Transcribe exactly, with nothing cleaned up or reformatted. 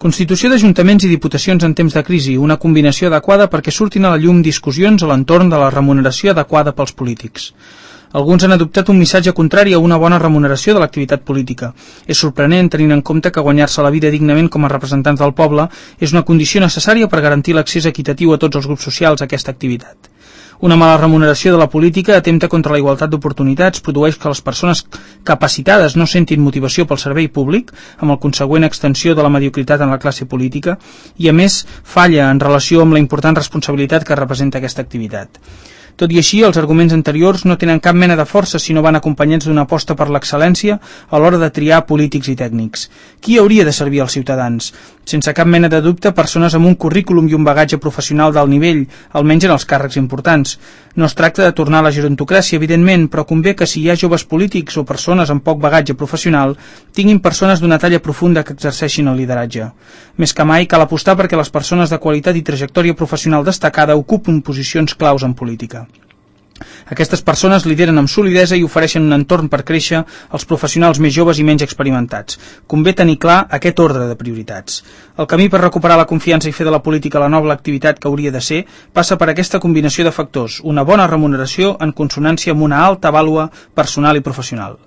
Constitució d'ajuntaments i diputacions en temps de crisi, una combinació adequada perquè surtin a la llum discussions a l'entorn de la remuneració adequada pels polítics. Alguns han adoptat un missatge contrari a una bona remuneració de l'activitat política. És sorprenent tenint en compte que guanyar-se la vida dignament com a representants del poble és una condició necessària per garantir l'accés equitatiu a tots els grups socials a aquesta activitat. Una mala remuneració de la política atempta contra la igualtat d'oportunitats, produeix que les persones capacitades no sentin motivació pel servei públic, amb el consegüent extensió de la mediocritat en la classe política, i a més falla en relació amb la important responsabilitat que representa aquesta activitat. Tot i així, els arguments anteriors no tenen cap mena de força si no van acompanyats d'una aposta per l'excel·lència a l'hora de triar polítics i tècnics. Qui hauria de servir als ciutadans? Sense cap mena de dubte, persones amb un currículum i un bagatge professional d'alt nivell, almenys en els càrrecs importants. No es tracta de tornar a la gerontocràcia, evidentment, però convé que si hi ha joves polítics o persones amb poc bagatge professional, tinguin persones d'una talla profunda que exerceixin el lideratge. Més que mai, cal apostar perquè les persones de qualitat i trajectòria professional destacada ocupin posicions claus en política. Aquestes persones lideren amb solidesa i ofereixen un entorn per créixer als professionals més joves i menys experimentats. Convé tenir clar aquest ordre de prioritats. El camí per recuperar la confiança i fer de la política la nova activitat que hauria de ser passa per aquesta combinació de factors, una bona remuneració en consonància amb una alta vàlua personal i professional.